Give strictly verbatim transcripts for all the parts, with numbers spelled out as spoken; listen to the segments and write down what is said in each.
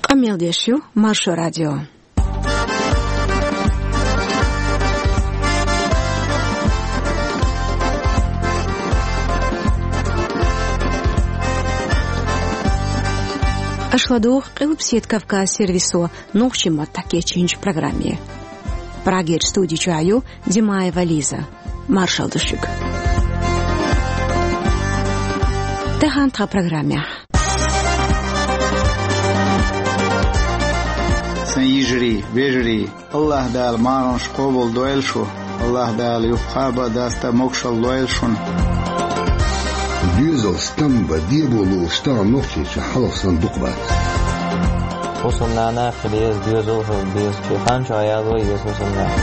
Къамел деш ю Маршо радио. Аша ладугӀу Къилбаседа Кавказ сервисо нохчийн маттахь кечйинчу программе. Прагерчу студи чохь ю Димаева Лиза. Маршалла ду шуьга. Тахана тхан программехь. Сан йижарий, вежарий, Аллаха Дала марханаш къобал дойла шу. Аллаха Дала юха кхаба а, даста а могушалла лойла шуна. Доьзал стам бан дебо луш тахана Нохчийчохь хьалха санна дукха бац. ХӀусамнана хила еза, доьзал хила беза, шен хан чохь яло еза хӀусамнана.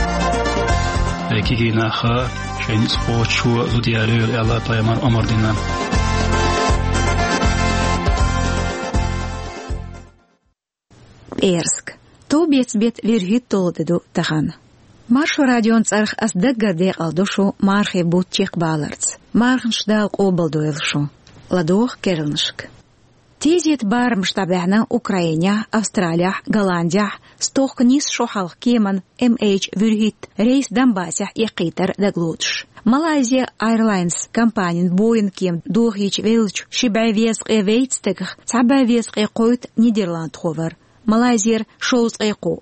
Ай кегий нах а, шайн ницкъ кхочушо зуда ялойла аьлла, пайхамар омра дина. ПӀераска. Товбеца беттан вуьрхӀитта долу де ду тахана. Маршо радион цӀарах ас даггара декъалду шу мархийн бутт чекхбаларца. Марханаш Дала къобал дойла шу. ЛадогӀа керланашка. Тезета барамаш дӀабаьхьна Украинехь, Австралехь, Голландехь, стохка нийсса шо хьалха кеман М H вуьрхӀитта рейс Донбассехь эккхийтар дагалоцуш. Malaysia Airlines компанин Боинг кема дохийча веллачу ши бӀе везткъе вейтта стагах цхьа бӀе везткъе кхойтта нидерландхо вара. Малайзера шовзткъе кхоъ,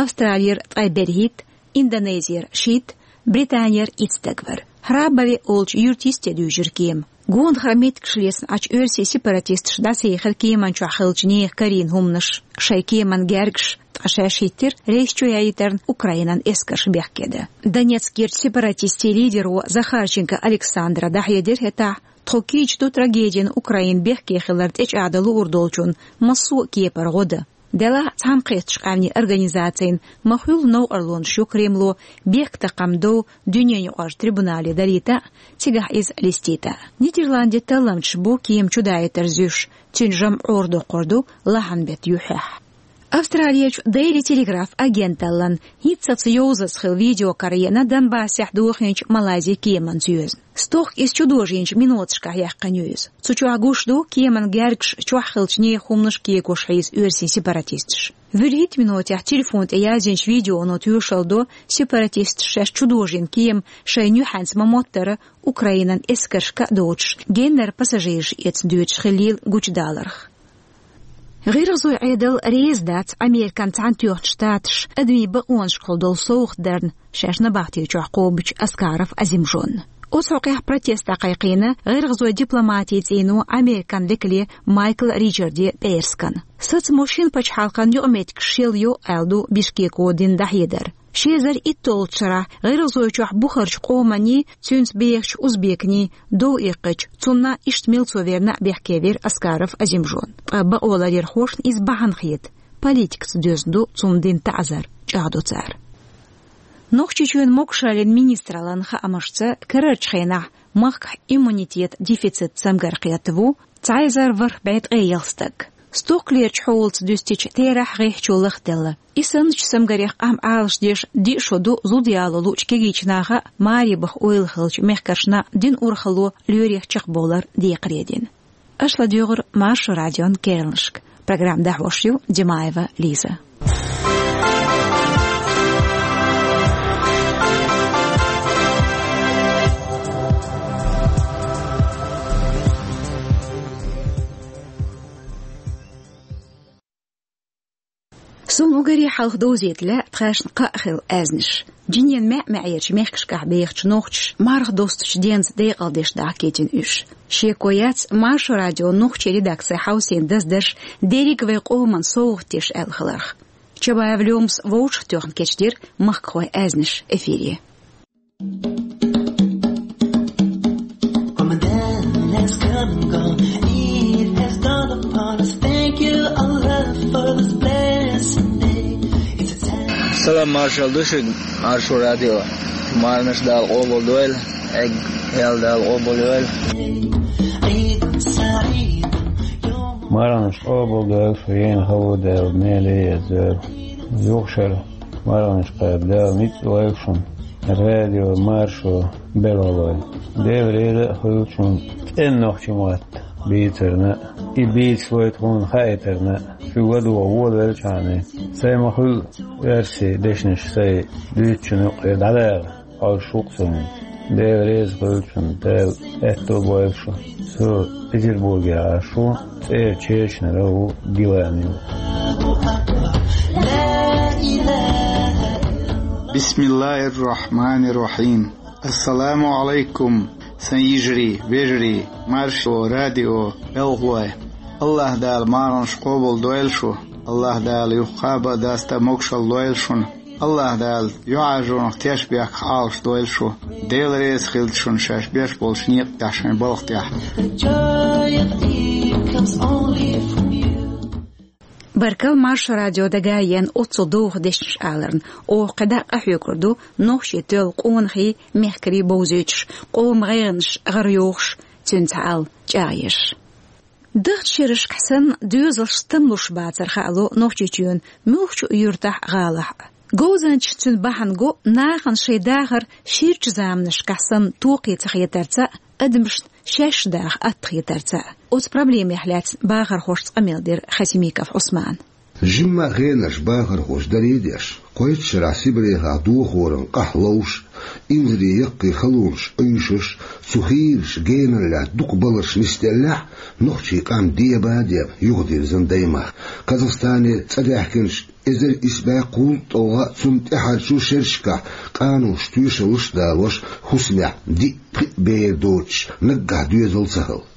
Австралера ткъе берхӀитта, Индонезера шийтта, Британера итт стаг вара. Храбове олучу юьрта йисте дуьйжира кема. Гонахара меттигаш лецна Ӏачу оьрсийн сепаратисташа дӀасаехира кеман чохь хиллачу нехан карийна хӀуманаш, шайн кеман гергаш, ткъа шаьш хӀиттира рейс чу яийтарна Украинан эскарша бехке дан. Донецкерчу сепаратистийн лидеро Захарченко Александра дӀахьедира хӀетахь, тхо кийча ду трагедина Украинан бехке хилар тӀечӀагӀдан луур долчунна массо а кепара гӀо дан. Делахь а цхьаьнакхеттачу къаьмнийн организацийн ма-хуьллу новкъарлонаш ю Кремло бехктакхаман дов дуьненаюкъарчу трибунале дарийта а, цигахь иза листийта а. Нидерландийн талламчаш бу кема чудаийтар зуьйш, цуьнан жамӀ Ӏорадоккхур ду лахьан беттан юьххьехь. Австралерчу Daily Telegraph агенталлан хӀинццалц йовзаза хилла видео караеана Донбассехь дохийначу Малайзин кеманца йоьзна. Стохка иза чудожийначу миноташкахь яьккхина ю иза. Цу чохь гуш ду кеман гергаш, чохь хиллачу нехан хӀуманаш кегош хьийза оьрсийн сепаратисташа. ВуьрхӀитта минотехь телефон тӀе яздинчу видеоно тоьшалла до, сепаратисташа шаьш чудожийна кема шайна юьхьанца ма-моттара, Украинан эскаршка а доцуш, геннара пассажираш эцна доьдуш хиллийла гучудаларх. ГӀиргӀазойн Ӏедал реза дац Американ Цхьаьнатоьхначу Штаташа адамийн бакъонашкахула долу совгӀат дарна шаьш набахтечохь кхобучу Аскаров Азимжонна. Оцу хьокъехь протест дӀакхайкхийна гӀиргӀазойн дипломатин цӀийно Американ векале Майкл Ричарде пӀераскан. Сацамо шина пачхьалкхан юкъаметтигаш шелйо аьлла ду Бишкеко дина дӀахьедар. Ши эзар итталгӀачу шарахь ГӀиргӀазойчохь бухарчу къоманний, цуьнца бехачу узбекний дов иккхича, цунна иштта милцо верна а бехке вира Аскаров Азимжон. Ткъа бакъоларъярхошна иза бахьана хета. Политикаца доьзна ду цунна дина таӀзар, чӀагӀдо цара. Нохчийчоьнан могушаллин министраллан хаамашца, карарчу хенахь махкахь иммунитетан дефицит цамгар кхетта ву цхьа эзар ворхӀ бӀе ткъе ялх стаг. Стохкалерчу хьолаца дуьстича, терахь гӀеххьачо лахделла. И санначу цамгарех къам Ӏалашдеш диъ шо ду зуда яло луучу кегийчу наха а, маребаха ойла хиллачу мехкаршна а дина урхалло лоьрех чекхбовлар декхаре дина. Аша ладуьйгӀура Маршо радион керланашка. Программа дӀахьош ю Димаева Лиза. Суна уггаре хьалха довзийта лаьа тхаьшна кхаъ хилла аьзнаш. Жинен маьӀ-маьӀерчу мехкашкахь бехачу нохчаша марха достучу денца декъалдеш дахкийтина уьш. Шеко яц Маршо радион нохчийн редакцин хьовсийна даздарш дерриг а вайн къоман совгӀат деш аьлла хиларх. Чабаев Лёмас вовшахтоьхна кечдира махкахойн аьзнаш эфире. Ramadan has come and gone. Eid has dawned upon us. Thank you, Allah, for this blessed day. It's a time. Салам, маршалла ду шуьга, Маршо радио. Марханаш Дала къобалдойла, эггал Дала къобалйойла. Eid Saeed. Марханаш къобалдойла, шу ена хало Дала, меле еза. Юха шара марханаш кхаба Дала, ницкъ лойла шуна. Радио Маршо белхалой. Дела реза а хуьлда шуна цӀена нохчийн мотт. бийцарна, и бийцалой тхуна хаийтарна, шуьга догӀа волавелчхьана, сай ма хуьлу верси дешнаш сай дуьйцучун юкъера дӀадаха, хьовсуш ву-кх со хӀинца. Дела реза хуьлда шуна, Дала аьтто бойла шу. Со Петербургехь Ӏаш ву, цӀера Чечнера ву Гилани. Бисмиллахир-рахманир-рахим. Ассаламу алайкум, сан йижарий, вежарий, Маршо радион белхалой. АллахӀ Дала марханаш къобал дойла шу. АллахӀ Дала юха кхаба а, даста а могушалла лойла шуна. АллахӀ Дала юьхьӀаьржонах тешнабехках Ӏалашдойла шу. Дела реза хилда шуна шаьш беш болчу некъа тӀехь, шайн балха тӀехь. Баркалла, Маршо радио дага а еана оццул доху дешнаш аларна. Оха кхидӀа а къахьоьгур ду нохчийн тоьлла къонахий, мехкарий бовзуьйтуш, къоман гӀайгӀанаш гӀарайохуш, цуьнца хьал чӀагӀъеш. Дахча шерашкахь санна, доьзалш стамлуш бацар хаало Нохчийчоьнан муьлххачу юьртахь а, гӀалахь а. Говзанчаш цуьнан бахьана го нахана шайн дахар ширачу заманашкахь санна токхе ца хетарца а, адамашна шаьш даха атта хетарца а. Оцу проблемех лаьцна бахархошца къамел дира Хасимиков Ӏусмана. Жимма хенарш бахархоша дарий а деш, кхойтта шарахь Сибрехахь дохоран къахь ловш, инзаре яккхий халонаш Ӏуьйшуш, цу хийрачу генара лаьцна дукха баларш нисделлехь а, нохчийн къам деба а деба юхадирзина даймахка. Казахстанера цӀа даьхкинчу эзар исс бӀе кхузткъе ткъе ткъа а, цунна тӀаьхьарчу шерашкахь къаноша тоьшаллаш а далош, хӀусамехь диъ-пхиъ бер доцуш, наггахь доьзал ца хилла.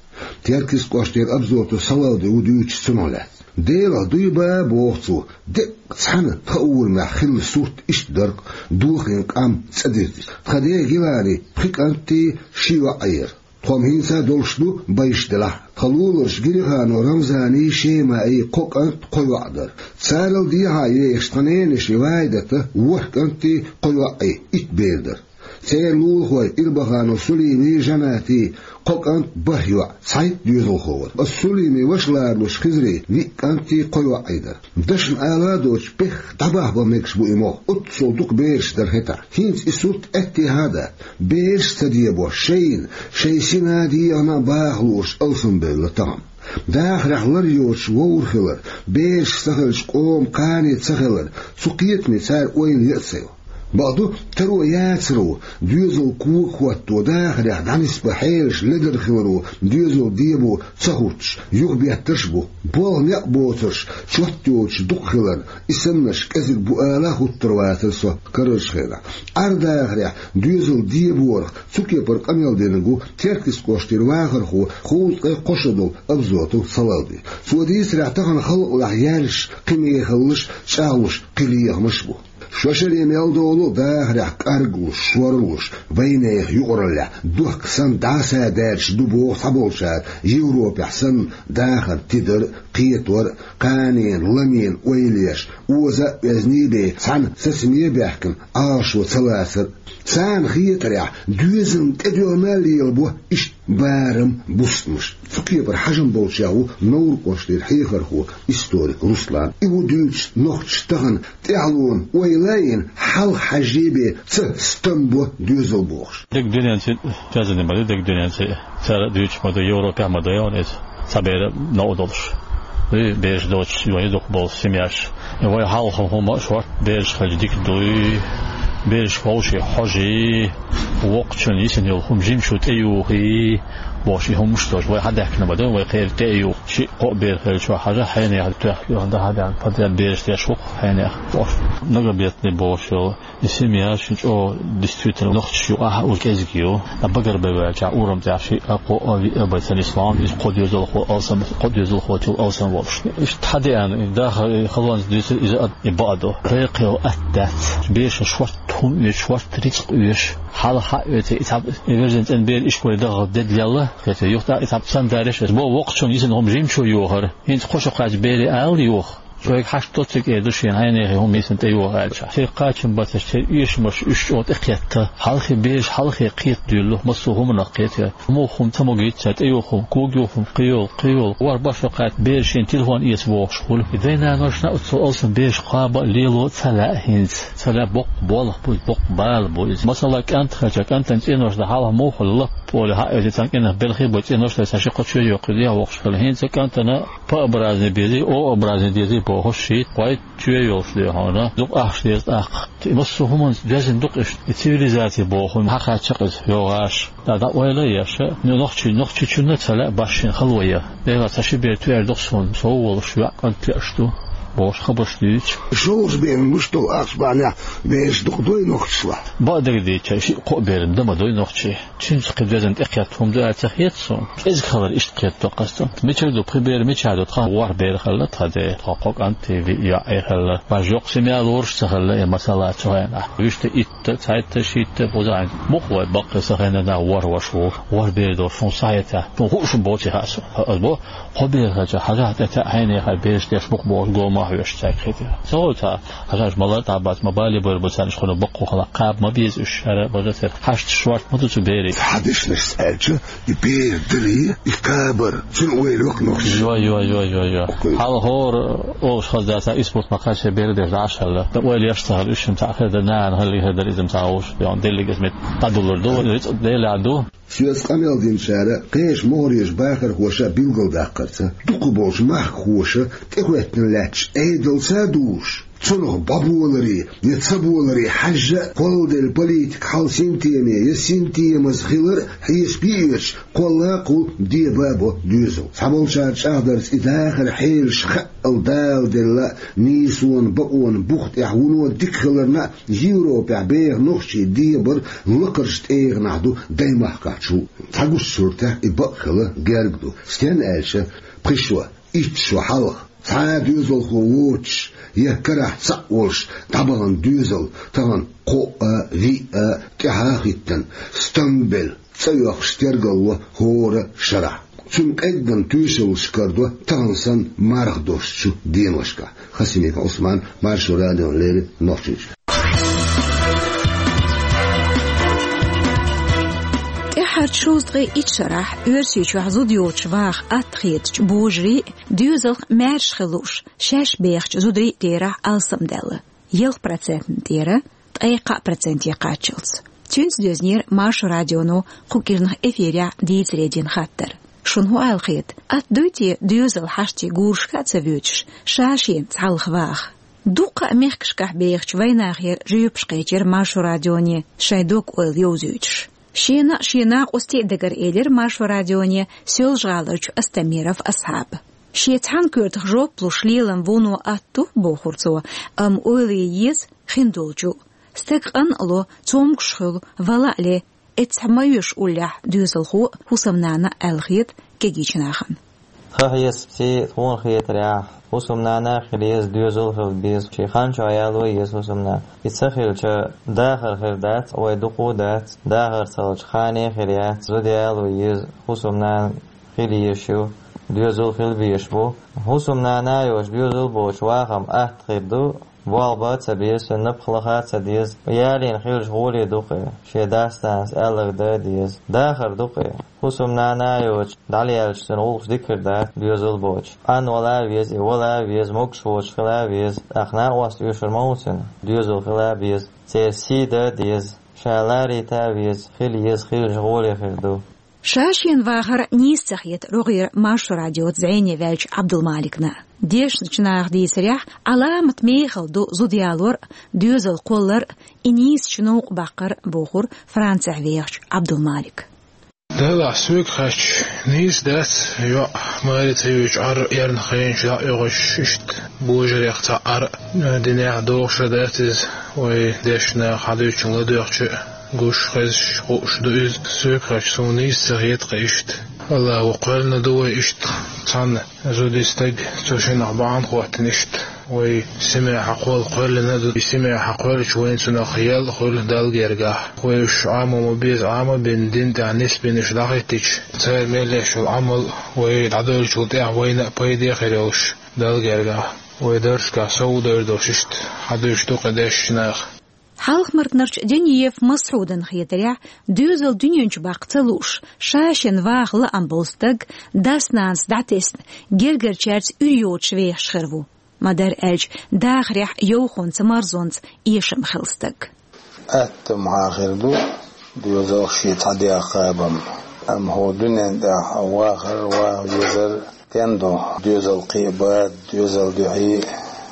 Теркйист кӀоштера Абзотов Салавди ву дуьйцуш цунах лаьцна. Делахь дуй бан а, боху цо, деккъа цхьана тхан урамехь хилла сурт иштта дара-кх: дохийна къам цӀа дирзича. Тхан ден Гилани пхи кӀант а, ши йоӀ а яра. Тхо-м хӀинца а долуш ду, байш делахь а. Тхан луларчу Гириханов Рамзаний, Шемаий кхо кӀант, кхо йоӀ дара. Царал дехьа а езаш, тхан ненан йишин Вайдатан ворхӀ кӀант а, кхо йоӀ а, итт бер дара. Церан лулахой Ирбаханов Сулимий, Жанатий кхо кӀант, бархӀ йоӀ, цхьайтта доьзалхо вара. Ас Сулимин ваша ларалуш Хизрин виъ кӀант а, кхо йоӀ а дара. Дашна ала а доцуш, бехк дӀабахьа бан мегаш бу и мох. Оццул дукха бераш дара хӀетахь. ХӀинца и сурт аьттехьа а дац. Бераш а ца дебош, шайна, шайн сина а, дегӀана а баха лууш алсамбевлла тахана. Дахарехь лар йоцуш вовр хилар, бераш ца хилча, къоман кхане ца хилар, цу кхетаме цара ойла ян а ца йо. Бакъду, таро яцаро, доьзал кога хӀотто, дахарехь дӀанисбан хьелаш ледара хиларо, доьзал дебо ца хӀуттуш, юхабеттарш а бу. Болх, некъ боцурш чот йоцуш дукха хиларна, и саннарш кӀезиг бу ала а хӀуттур вацара со карарчу хенахь. Ӏар-дахарехь доьзал деборах цу кепара къамел динарг ву Теркйист кӀоштера вахархо, кхузткъе кхо шо долу Абзотов Салавди. Цо дийцарехь, тахана халкъалахь яьллаш кхин мехаллаш, чӀагӀлуш кхин лехамаш а бу. Шо шаре мел долу а дахарехь къаргалуш, шорлуш, вайнехан юкъараллехь, дохка санна дӀасадаьржаш ду боху цхьаболчара, Европехь санна дахар тидар а, кхетор а, кханенан, ламенан ойла еш, оза а оьзний бен, цхьаьна сацаме а баьхкина, Ӏалашо ца лацар а. Царна хетарехь, доьзална тӀедоьгӀна а лелабо иштта барам, бустамаш. Цу кепара хьажам болчех ву Невран кӀоштера хьехархо, историк Руслан. И ву дуьйцуш нохчаша тахана тӀаьхьалонан ойла а йина, хьалха хьажжий бен ца стам бо доьзал бохуш. Дерг дуьненца связанный ма ду, дерг дуьненца. Цара а дуьйцуш ма ду, Европехь а ма ду, яхана иза. Цхьа бер новкъа долуш. И бераш доцуш, вайн дукха болу семьяш. И вай хьалха хӀума а шорта бераш хилча дика дуй. Бераш вовшийн хьожий, воккхачун йисина йолу хӀума жимачу тӀеюхий, бохуш и хӀумаш а долуш. Вай хьадаьхкина ма ду, вай кхеран тӀе а юху. Шиъ-кхоъ бер хилча, хьажа хьенех тоьхна, дахьа бен, подряд бераш деш ву-кх хьенех. Бохуш, многобетный бохуш йолу. И семья шин чӀогӀа действительно нохчаш юкъахь а уьш кӀезиг ю. Ткъа багарбеваьлчахь урам тӀехь шиъ а, кхоъ а, виъ а бен ца нисван, иза кхо доьзалхо алсам, кхо доьзалхочул алсам волуш. Иштта хьан деана, и даха, и халонца дуьйцура иза а, и бакъ а ду. Кхайкхайо атта дац. Бераш шорта хӀума оьцуш, шорта рицкъ оьцуш. Хьалха а оьций, и цхьаб, и вежарийн цӀена бер ишколе даха де лелла, кхетий, юха тӀаккха и цхьаб цамгарш а. Иза боху воккхачун йисина хӀума жимачо йохар. ХӀинца кхо шо кхаьчча бере ала йоха. Шоайга хьашт доцург эр ду шена, хьайнехе хӀума йисина тӀейоха аьлча. Шоай кхачам бацаш, шоай эшамаш уьш чӀогӀа тӀекхетта. Хьалххе бежа, хьалххе кхета дуьйлу, массо а хӀуманах кхета. Муха хӀума ца могийта царна, тӀейоха хӀума, когайоха хӀума, кхыйола, кхыйола. ВорхӀ башха кхаьча, бежа шена телефон эца бохуш хуьлу. И дай-нанош а цу алсам бежа кхаба а, лело а ца лаьа хӀинца. Ца лаьа боккха болх бу иза, боккха бала бу иза. Масала, кӀант хилча, кӀантана цӀенош дан хьалха муха лап олий хьаэца, цхьана кӀентан белхий бу, цӀенош дай цхьа ши-кхо чоь йоккхуй, дехьа воккхуш хила. ХӀинца кӀантана П образный безий, О образный дезий бохуш, шийтта, кхойтта чоь йолуш де хьуна, дукха ахча деза тӀаккха. И массо а хӀуманца доьзна ду-кх иштта. И цивилизаци боху хӀума хьахаьчча-кх иза, йогӀаш. ТӀаккха ойла а еш, ну, нохчи-, нохчичунна а ца лаьа башха шена хало ян. Делахь цхьа ши бер тоьар ду-кх суна, сов волуш йоӀ-кӀант веаш ду, бохуш хабарш дуьйцу. ШолгӀа бен луш долу ахча бахьанехь бежаш дукха дуй нохчашлахь? Бакъдерг дийцича, шиъ-кхоъ бер дан ма дуй нохчий. Цуьнца кхин доьзна тӀекхетта хӀума ду аьлла ца хета суна. КӀезиг хилар иштта кхетадо-кх ас. Мичара ду, пхи бер мичахь ду, тхан ворхӀ бер хилла тхан, де, тхан кхо кӀант, виъ йоӀ хилла. Баш йоккха семья лоруш а ца хилла, и масала цу хенахь. Вуьшта итт, цхьайтта, шийтта, кхузахь. Муха вай баккхий сан хеннахь ворхӀ ваша ву, ворхӀ бер долуш хӀума схьахетахь? Суна хууш а боций хаьа суна. Ас бо, кхо бер хилча, хьажахь тӀетаьӀа, хьайнехе бежаш деш бу-кх бохуш, гома а хьоьжуш цаьрга хетира. Ца хуьлу цхьа, хьажахь, малар а дӀа бац, ма бале бара бу царна, уьш кхунах баккхий хила, кхаба ма беза уьш, хӀара бажа тера. Хьашт шорта ма ду цу берийн. Хьан дешнашца аьлча, и бер дарий, и кхабар, цуьнан ойла йоккха нохчаша. Йо, йо, йо, йо, йо. Окей. Хьалха хӀора олуш хаза дац, исбурт ма кхаьчча бер деш дӀа а шалла. Дан ойла еш ца хилла, уьш-м цхьаъ хир дара, нана хилла хир дара иза-м цхьа вовш. Йо, деллиг иза мет дӀадуллур ду, рицкъа Делехь ду. Соьца къамел динчара, кхечу могӀарерчу бахархоша билгалдаккхарца, дукхахболчу махкахоша тӀехӀоьттина лаьтташ Ӏедалца а дуьйш, цунах бӀоболаре я ца боларе хьаьжжа а, кхолладелла политика хьал синтеме я синтемаза хилар а хьеша биъечу, кхолла а кхул, деба а бо доьзал. Цхьаболчара чӀагӀдарца, и дахаран хьелаш хаъал даладелла а, нийсонан, бакъонан бух тӀехь вуно дика хиларна а, Европехь беха нохчий дебар лакхарчу тӀегӀанахь ду даймахкахь чу. Цхьа гуш суртехь и бакъ хила герга ду. Стенна аьлча, пхи шо, итт шо хьалха, цхьа а доьзалхо воцуш, я карахь цхьаъ волуш дӀабахана доьзал тахана кхоъ а, виъ а тӀаьхьа а хӀиттина, стамбелла цӀа оьхуш тергалло хӀора шарахь. Цуьнан къеггина тоьшаллаш карадо тахана санна марха дошучу деношкахь. Хасимиков Ӏусман, Маршо радиона леррина, Нохчийчоь. ТӀаьххьарчу шовзткъе итт шарахь Оьрсийчохь зуда йоцуш ваха атта хетачу божарийн а, доьзалх маьрша хила лууш, шаьш бехачу зударийн а терахь алсамдаьлла. Ялх процентана тӀера ткъе кхаа проценте кхаччалц. Цуьнца доьзнера Маршо радионо кху кӀирнах эфирехь дийцаре дина хаттар. Шуна хӀун аьлла хета, атта дуй те доьзал хьаштий гурашка а ца воьдуш, ша-шена цхьалха ваха? Дуккха а мехкашкахь бехачу вайнахера жоьпаш кхечира Маршо радионе, шайн дог-ойла йовзуьйтуш. Шена а, шен накъостийн а дагара элира Маршо радионе Соьлжа-ГӀаларчу Астамиров Асхьаба. Шен цхьана коьртах жоп луш лелам вуно атта ду, бохура цо, амма ойла ян еза хиндолчу. Стаг къанна а ло, цомгуш хуьлу, вала а ле, эццахь ма оьшу уллехь доьзалхо а, хӀусамнана а, аьлла хета кегийчу нахана. Тхан хьесапца, тхуна хетарехь, хӀусамнана а хила еза, доьзал а хила беза, шен хан чохь яло еза хӀусамнана. И ца хилча, дахар хир дац, вай дукха а дац, дахар ца хилча, хане а хир яц, зуда яло еза, хӀусамнана хила езаш ю, доьзал хила безаш бу. ХӀусамнана а йоцуш, доьзал а боцуш вахам атта хир ду, болх бан а ца беза, цуьнан напха лаха а ца деза, ялийна хиллачу гӀоле ду-кх и, шен дас-нанас аьлларг дан а деза. Дахар ду-кх и. ХӀусамнана а йоцуш, дӀалелча, цуьнан гӀуллакхаш дика хир дац, доьзал а боцуш. Къанвала а веза и, вала а веза, могуш воцуш хила а веза. ТӀаккха накъост оьшур ма ву цуьнан, доьзал хила а беза. Церан сий дан а деза, ша ларита а веза, хила еза хиллачу гӀоле хир ду. Ша-шена вахар нийса ца хета рогӀера Маршо радиоца зӀене ваьллачу Ӏабдулмаликна. Дешначу наха дийцарехь, Ӏаламат мехала ду зуда ялор а, доьзал кхоллар а, и нийсачу новкъа баккхар а, бохура Францехь вехачу Ӏабдулмалика. Делахь, соьга хаьттича, нийса дац, йоӀ маре ца йоьдуш, Ӏар эрна хенчу дӀа а оьгӀуш, иштта божарех цхьаъ Ӏар а, динехь догӀуш а дац иза, вай дешна наха хьадуьйцучунна ладоьгӀча а. Гуш, хезаш, хууш ду иза. Соьга хаьттича, суна нийса ца хета-кх иштта. Аллахо кхоьллина ду вай иштта. Цхьана зудчун стаг, цо шиннах бахьана хӀоттийна иштта. Вай семья хьакхолла кхоьллина а ду. И семья хьакхоьллича, вайна цунах ял а хуьлу Далла гергахь. Вай уьш Ӏамо ма беза, Ӏама а бина, дин тӀехь нисбина уьш дӀахӀиттича, цара мел деш йолу Ӏамал вай дӀадевллачул тӀаьхьа вайна а пайде а хир йолуш. Далла гергахь, вай дарсашкахь сов дер долуш иштта хьадуьйш ду-кх дешначу наха. Хьалха-Мартанарчу Диниев Масхьудан хетарехь, доьзал дуьнен чу баккха ца лууш, ша-шен ваха лаам болу стаг, дас-нанас дӀатесна, гергарчаьрца уьйр йоцуш вехаш хир ву. Ма-дарра аьлча, дахарехь йовхонца, марзонца эшам хилла стаг. Атта ма хир ду доьзалх шен цхьа дегӀ кхабар. Амма хӀокху дуьнен тӀехь вахар, ваха везар стен ду? Доьзал кхиабад, доьзал дуьхьий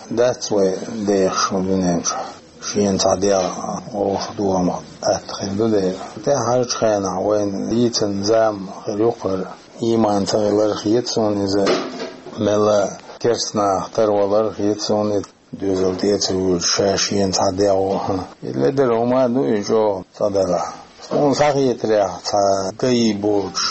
дац вай дехаш хӀокху дуьнен чу. Шена цхьа дегӀ вовшах догӀу ма атта хир ду дела. ТӀаьхьарчу хенахь вайна дийцина зама хир ю-кх хӀара. Ийман ца хилар хета суна иза, мелла керстанах тарвалар хета суна и. Доьзал тӀе а ца вуьйлуш, ша шена цхьа дегӀ ву. И ледара хӀума а ду и чӀогӀа цкъа далахь. Суна схьахетарехь, цхьа дай боцуш,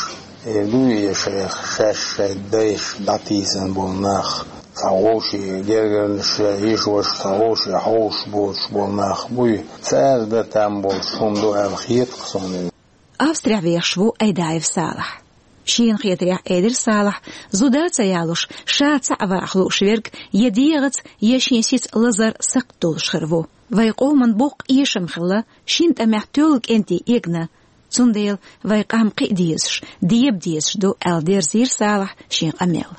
эр ду и шайх, шаьш шайн дайша дӀатийсина болу нах, цхьа вовшийн гергарнаш, йиша-ваша цхьа вовшийн хьовсуш боцуш болу нах буй, цара дан там болуш хӀума ду аьлла хета-кх суна. Австрехь вехаш ву Айдаев Салахь. Шена хетарехь, элира Салахьа, зуда ца ялош, ша цхьаъ ваха лууш верг я дегӀаца, я шен сица лазар, сакхт долуш хир ву. Вайн къоман боккха эшам хилла, шина тӀамехь тоьлла кӀентий эгна. Цундела вайн къам кхиа дезаш, деба дезаш ду, аьлла, дерзийра Салахьа шен къамел.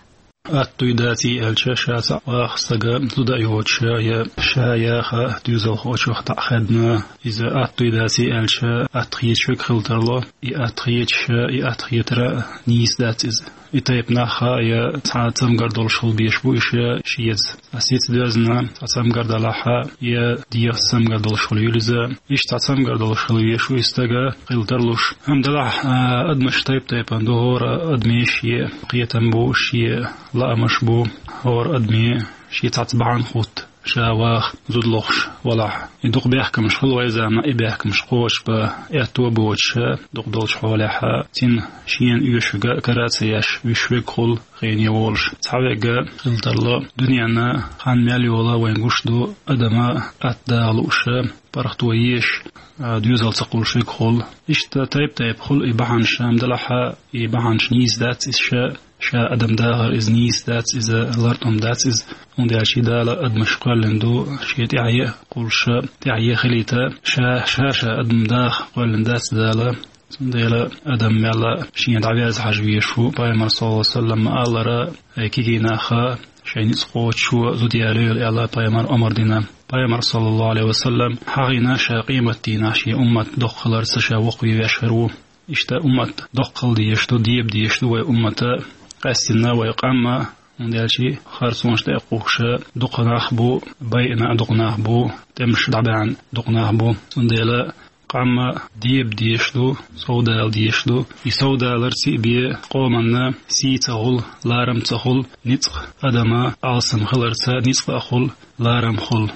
Атта дуй, даций аьлча, ша цхьаъ ваха стага зуда а йоцуш, я ша яха доьзалхочух дӀа а хадна, иза атта дуй, даций аьлча, атта хеташ верг хила тарло, и атта хеташ, и атта хетар а нийса дац иза. И тайпа нах а я цхьа цамгар долуш хила безаш бу уьш шеца. Цхьа сица доьзна, цхьа цамгар далахь а, я дегӀаца цамгар долуш хила юьлу иза. Иштта цхьа цамгар долуш хила везаш ву и стага хила тарлуш. Амма делахь, а, адамаш тайп-тайпана ду, хӀора адамийн шен кхетам бу, шен лаамаш бу, хӀора адамийн шен цхьацца бахьана хӀутту, ша ваха зуда лохуш валахь. И дукха бехкамаш хилла вайн заманахь, и бехкамаш кхочушбан аьтто а боцуш, дукха долчу хьолехь а, цуьнан шена оьшург а кара а ца еш, вуьшуш верг хуьлу, хене волуш. Цхьа верг хила тарло, дуьненна хан мел йолу вайна гуш ду, адам атта даха лууш, паргӀато езаш, а, доьзал ца кхуллуш верг хуьлу. Иштта тайп-тайпа хуьлу и бахьанаш, амма делахь а, и бахьанаш нийса дац иза ша, ша адам дахар иза нийса дац, иза лартӀам дац иза. ХӀунда аьлча Дала адамаш кхоьллина ду, шен тӀаьхье а кхуллуш, тӀаьхье а хилийта, ша, ша-ша адам даха кхоьллина дац Дала. Цундела адам мелла шена дӀавеза хьажа везаш ву. Пайхамар, саллаллаху Ӏалайхи ва саллам, ма-аллара, ай кегий нах а, шайн ницкъ кхочушо зуда ялайойла аьлла, пайхамар омра дина. Пайхамар, саллаллаху Ӏалайхи ва саллам, хьахийна ша къематдийнахь шен уммат доккха хиларца ша воккхаве веш хир ву. Иштта уммат доккха хила дезаш ду, деба дезаш ду вай уммата, къаьстина вай къам а, хӀунда аьлча харцонаш тӀе а кхухкуш дукха нах бу, байина а дукха нах бу, тӀемаш дӀабаьхьна дукха нах бу. Цундела къам а деба дезаш ду, совдала дезаш ду. И совдаларца а бен къоманна сий ца хуьлу, ларам ца хуьлу, ницкъ, адама алсам хиларца ницкъ а хуьлу, ларам хуьлу.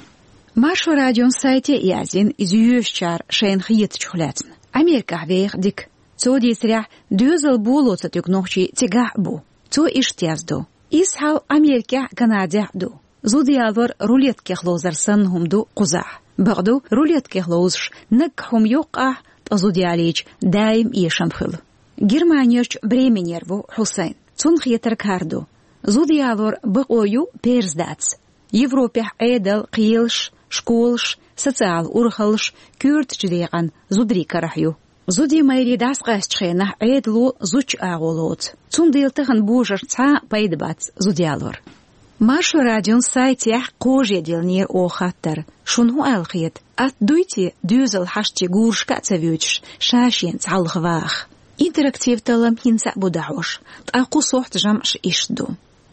Маршо радион сайте а яздина иза йоьшучара шайна хетачух лаьцна. Америкахь веха Дика. Цо дийцарехь, доьзал боло ца туьгу нохчий цигахь а бу. Цо иштта яздо: иза хьал Америкехь а, Канадехь а ду. Зуда ялор рулеткех ловзар санна хӀума ду кхузахь. Бакъду, рулеткех ловзуш наггахь хӀума йоккху ахь, ткъа зуда ялийча даим эшам хуьлу. Германерчу Бременера ву Хьусайн. Цунна хетарг хӀара ду: зуда ялор бакъо ю, перз дац. Европехь Ӏедал, кхелаш, школаш, социалан урхаллаш коьртачу декъана зударий карахь ю. Зудий майрий дӀасакъаьстачу хенахь Ӏедало зудчун агӀо лоцу. Цундела тахана божаршна цхьа а пайда бац зуда ялор. Маршо радион сайтехь кхожа диллинера оха хаттар: шуна хӀун аьлла хета, атта дуй те доьзал хьаштий гурашка а ца воьдуш, ша-шен цхьалха ваха? Интерактив таллам хӀинца а бу дӀахьош, ткъа кху сохьта жамӀаш иштта ду.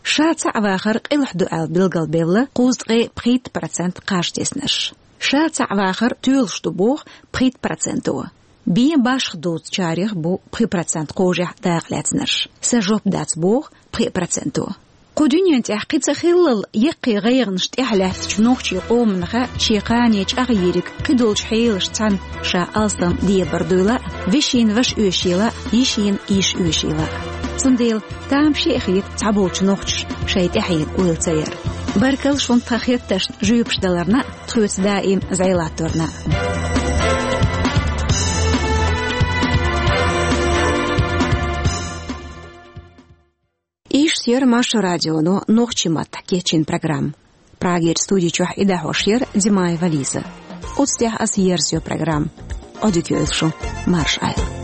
Ша цхьаъ вахар къилахь ду аьлла билгалбелла кхузткъе пхийтта процент кхаж теснарш. Ша цхьаъ вахар тоьлуш ду боху пхийтта проценто. Бен башха дузучарех бу пхи процент кхожехь дакъа лаьцнарш. Сан жоп дац боху пхи проценто. Кху дуьнен тӀехь кхин ца хиллал, яккхий гӀайгӀанаш тӀехь лаьттачу нохчийн къоманах шен кхане чӀагӀйийриг кхидолчу хьелашца цхьаьна ша алсам дебар дуйла а, вешина ваша оьшийла а, йишина йиша оьшийла а. Цундела тамашийна хета цхьаболчу нохчаша шайн тӀаьхьенан ойла ца яр. Баркалла шуна тхан хеттаршна жоьпаш даларна а, тхоьца даим зӀе латторна а. Иштта Яр Маршо радионо нохчийн маттахь кечйина программа. Прагера студи чохь и дӀахьош яр Димаева Лиза. Оцу тӀехь аса ерзайо программа. Ӏодика йойла шу, марша Ӏойла.